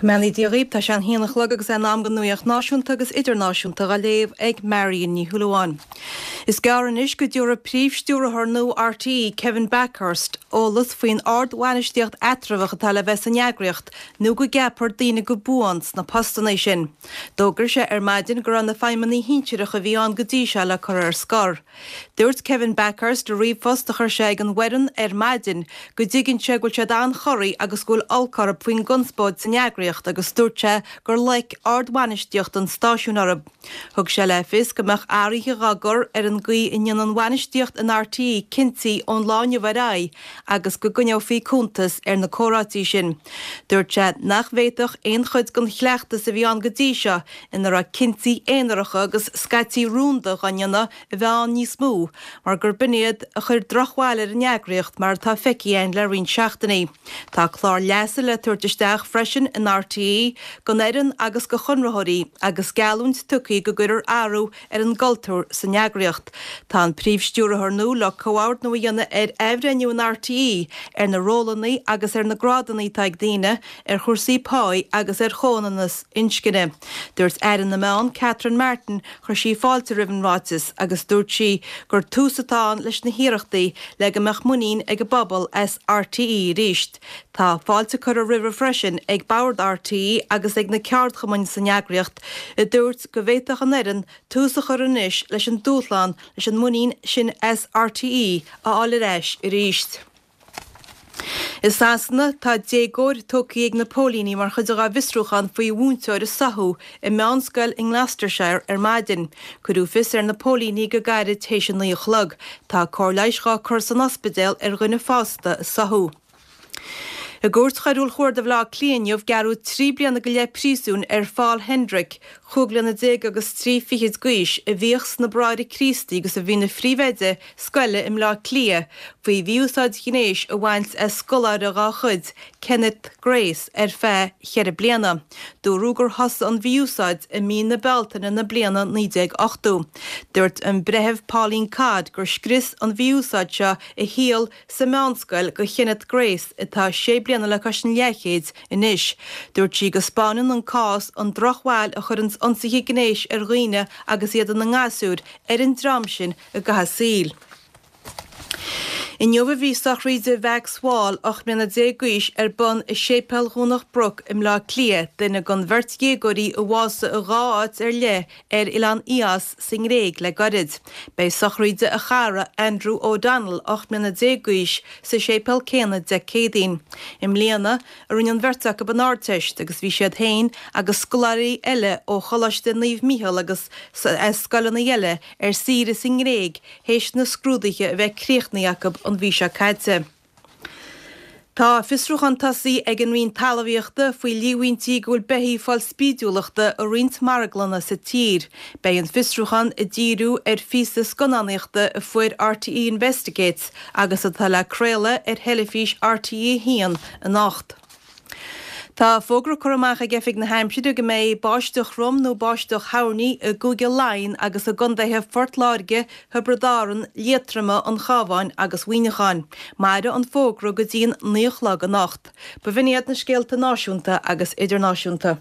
Go mbeannaí Dia dhaoibh, tá sé an haon a chlog agus é in am don nuaíocht náisiúnta agus idirnáisiúnta dhá léamh ag Marion Ní Shúilleabháin. Is gearr anois go dtiúrfaidh Príomh-Stiúrthóir nua RTÉ, Kevin Bakhurst, eolas faoin ard-bhainistíocht eatramhach atá le bheith san eagraíocht nó go gceapfar daoine go buan sna postanna sin. D'fhógair sé ar maidin go raibh na feidhmeannaigh shinsearacha a bhí ann go dtí seo le cur ar scor. Dúirt Kevin Bakhurst i ríomhphost a chuir sé ag an bhfoireann ar maidin go dtuigeann sé go bhfuil siad an-chorraithe agus go bhfuil olc orthu faoin gconspóid san eagraíocht agus dúirt sé gur loic ardbhainistíocht an stáisiúin orthu. Thug sé le fios go mbeadh athruithe dhá gcur ar an gcaoi a ndéanann an bhainistíocht in RTÉ cinntí ón lá inniu ar aghaidh agus go gcoinneofaí cuntas ar na comhráití sin. Dúirt sé nach bhféadfadh aon chuid den chleachtas a bhí ann go dtí seo ina raibh cinntí aonaracha agus scaití rúnda dhá ndéanamh a bheith ann níos mó mar gur b'in iad a chuir drochbhail ar an eagraíocht mar atá feicthe againn le roinnt seachtainí. Tá clár leasa le tabhairt isteach freisin in RTÉ don fhoireann agus do chonraitheoirí agus geallúint tugtha go gcuirfear athrú ar an gcultúr san eagraíocht. Tá an Príomh-Stiúrthóir nua le comhordnú a dhéanamh ar athbhreithniú in RTÉ ar na rólanna agus ar na grádanna atá ag daoine, ar chúrsaí páí agus ar chomhionannas inscne. Dúirt Aire na Meán, Catherine Martin, chuir sí fáilte roimh an ráiteas agus dúirt sí gur tús atá ann leis na hiarrachtaí le go mbeadh muinín ag an bpobal as RTÉ arís. Tá fáilte curtha roimhe freisin ag Bord RTÉ agus ag na ceardchumainn san eagraíocht a dúirt go bhféadfadh an fhoireann tús a chur anois leis an dúshlán leis an muinín sin as RTÉ a fháil ar ais arís. I Sasana, tá déagóir tógtha ag na póilíní mar chuid dá bhfiosrúchán faoi mhúinteoir a soitheadh i meánscoil i nGloucestershire ar maidin. Cuireadh fios ar na póilíní go gairid théis a 9 a chlog. Tá cóir leighis dhá cur san ospidéal ar dhuine fásta a soitheadh. I gCúirt Choiriúil Chuarda Bhaile Átha Cliath inniu, gearradh 3 bliana go leith príosúin ar Phaul Hendrick, 25 bliana agus 3 fichid d'aois, a bhíodh sna Bráithre Críostaí agus a bhí ina phríomhoide scoile i mBleá Cliath, faoi mhí-úsáid ghnéis a bhaint as scoláire dá chuid, Kenneth Grace, ar feadh cheithre bliana. Dúradh gur thosaigh an mhí-úsáid i mí na Bealtaine na bliana 1980. Dúirt an Breitheamh Pauline Codd gur scrios an mhí-úsáid seo a shaol sa meánscoil do Kenneth Grace, atá sé bliana le cois an leathchéid anois. Dúirt sí go 'spáineann an cás an drochbhail a chuireanns ionsaithe gnéis ar dhaoine agus iad ina ngasúir ar an dream sin i gcaitheamh a saoil. Inniu a bhí sochraíde Mhax Wall, 18 mbliana d'aois, ar bun i Séipéal Dhomhnach Broc i mBleá Cliath, duine den bheirt dhéagóirí a bhásaigh i dhá áit ar leith ar oileán Ios sa nGréig le gairid. Beidh sochraíde a chara, Andrew O'Donnell, 18 mbliana d'aois, sa séipéal céanna Dé Céadaoin. I mbliana a rinne an bheirt acu an Ardteist agus bhí siad féin agus scoláirí eile ó Choláiste Naomh Mícheál agus as scoileanna eile ar saoire sa nGréig théis na scrúduithe a bheith críochnaithe acu an mhí seo caite. Tá fiosrúchán tosaithe ag an Roinn Talmhaíochta faoi líomhaintí go bhfuil beithígh ag fáil spídiúlachta i roinnt marglanna sa tír. Beidh an fiosrúchán ag díriú ar phíosa scannánaíochta a fuair RTÉ Investigates agus atá le craoladh ar theilifís RTÉ 1 anocht. Tá fógra curtha amach ag Oifig na hAimsire go mbeidh báisteach throm nó báisteach thoirní i gCúige Laighean agus i gcontaetha Phort Láirge, Thiobraid Árann, Liatroma, an Chabháin agus Mhuineacháin. Mairfidh an fógra go dtí an 9 a chlog anocht. B'in iad na scéalta náisiúnta agus idirnáisiúnta.